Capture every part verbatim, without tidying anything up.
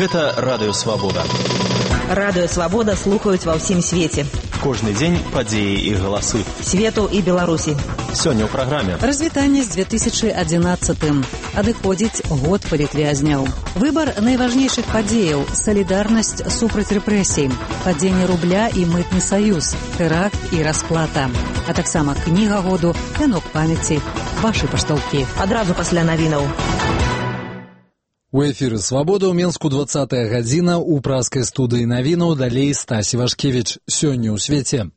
Гэта Радыё Свабода. Радыё Свабода слухаюць ва ўсім свеце. Кожны дзень падзеі і галасы. Свету і Беларусі. Сёння ў праграме. Развітанне з две тысячы адзінаццатым. Адыходзіць год палітвязняў. Выбар найважнейшых падзеяў, салідарнасць супраць рэпрэсій, падзенне рубля і мытны саюз, тэракт і расплата. А таксама кніга году, вянок памяці, вашы пашталкі. Адразу пасля навінаў. У эфіры «Свабода» ў Менску двадцатая гадзіна, у праскай студыі навінаў далей Стасі Вашкевіч. Сёння ў свеце.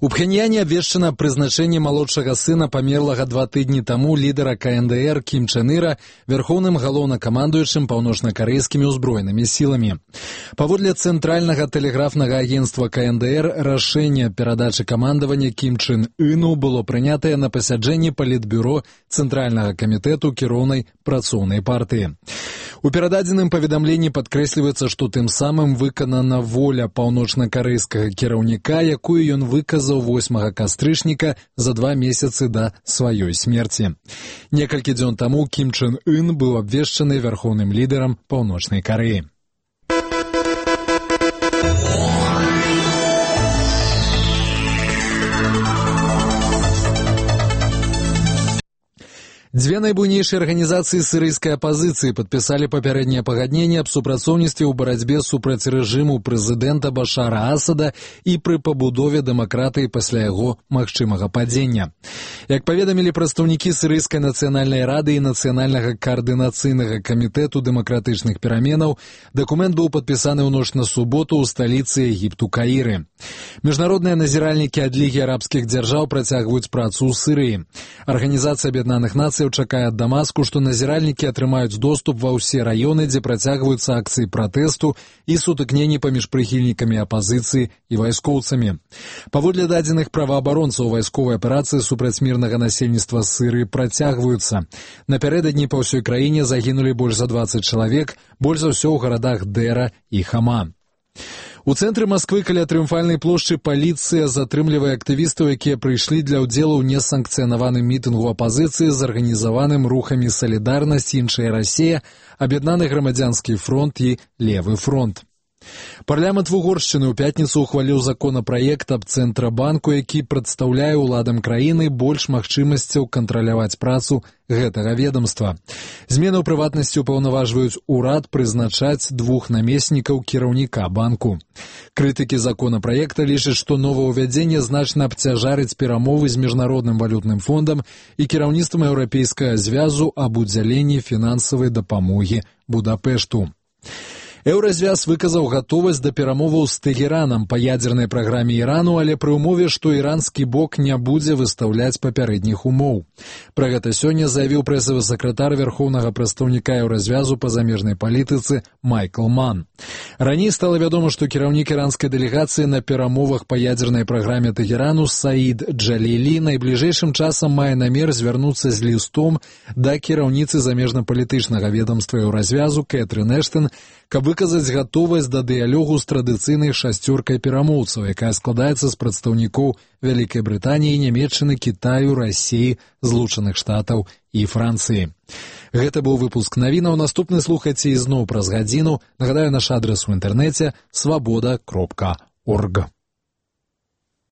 У Пхеньяне абвешчана прызначэнне малодшага сына памерлага два тыдні таму лідара ка эн дэ эр Кім Чен Іра вярхоўным галоўнакамандуючым паўночна-карэйскімі ўзброенымі сіламі. Паводле цэнтральнага тэлеграфнага агенцтва ка эн дэ эр рашэнне перадачы камандавання Кім Чен Ыну было прынятае на пасяджэнні палітбюро Цэнтральнага камітэту кіроўнай працоўнай партыі. У перададзеным паведамленні падкрэсліваецца, што тым самым выканана воля паўночна-карэйскага кіраўніка, якую ён выказаў восьмага кастрычніка за два месяцы да сваёй смерці. Некалькі дзён таму Кім Чен Ын быў абвешчаны вярхоўным лідарам Паўночнай Карэі. Дзве найбуйнейшыя арганізацыі сірыйскай апазіцыі падпісалі папярэдняе пагадненне аб супрацоўніцтве ў барацьбе супраць рэжыму прэзідэнта Башара Асада і пры пабудове дэмакратыі пасля яго магчымага падзення. Як паведамілі прадстаўнікі сірыйскай нацыянальнай рады і нацыянальнага каардынацыйнага камітэту дэмакратычных пераменаў, дакумент быў падпісаны ў ноч на суботу ў сталіцы Егіпту Каіры. Міжнародныя назіральнікі ад Лігі арабскіх дзяржаў працягваюць працу ў Сірыі. Арганізацыя Аб'яднаных Нацый чакае ад Дамаску, што назіральнікі атрымаюць доступ ва ўсе раёны, дзе працягваюцца акцыі пратэсту і сутыкненні паміж прыхільнікамі апазіцыі і вайскоўцамі. Паводле дадзеных праваабаронцаў, вайсковыя аперацыі супраць мірнага насельніцтва Сірыі працягваюцца. Напярэдадні па ўсёй краіне загінулі больш за дваццаць чалавек, больш за ўсё ў гарадах Дэра і Хама. У цэнтры Масквы каля Трыумфальнай плошчы паліцыя затрымлівае актывістаў, якія прыйшлі для ўдзелу ў несанкцыянаваным мітынгу апазіцыі з арганізаваным рухамі «Салідарнасць», «Іншая Расія», «Аб'яднаны грамадзянскі фронт» і «Левы фронт». Парламент Вугоршчыны ў пятніцу ухваліў законапраект аб Цэнтрабанку, які прадстаўляе ўладам краіны больш магчымасцяў кантраляваць працу гэтага ведамства. Змены ў прыватнасці ўпаўнаважваюць урад прызначаць двух намеснікаў кіраўніка банку. Крытыкі законапраекта лічаць, што новаўвядзенне значна абцяжарыць перамовы з міжнародным валютным фондам і кіраўніцтвам еўрапейскага звязу аб удзяленні фінансавай дапамогі Будапешту. Еўразвяз выказаў гатовасць да перамоваў з Тэгеранам па ядзернай праграме Ірану, але пры ўмове, што іранскі бок не будзе выстаўляць папярэдніх умоў. Пра гэта сёння заявіў прэсавы сакратар вярхоўнага прадстаўніка Еўразвязу па замежнай палітыцы Майкл Ман. Раней стала вядома, што кіраўнік іранскай дэлегацыі на перамовах па ядзернай праграме Тэгерану Саід Джалілі найбліжэйшым часам мае намер звярнуцца з лістом да кіраўніцы замежна-палітычнага ведамства Еўразвязу Кэтрын Эштон, каб выказаць гатовасць да дыялогу з традыцыйнай шасцёркай перамоўцаў, якая складаецца з прадстаўнікоў Вялікай Брытаніі, Нямецчыны, Кітаю, Расіі, Злучаных Штатаў і Францыі. Гэта быў выпуск навінаў. Наступны слухайце ізноў праз гадзіну. Нагадаю, наш адрас у інтэрнэце свабода кропка орг.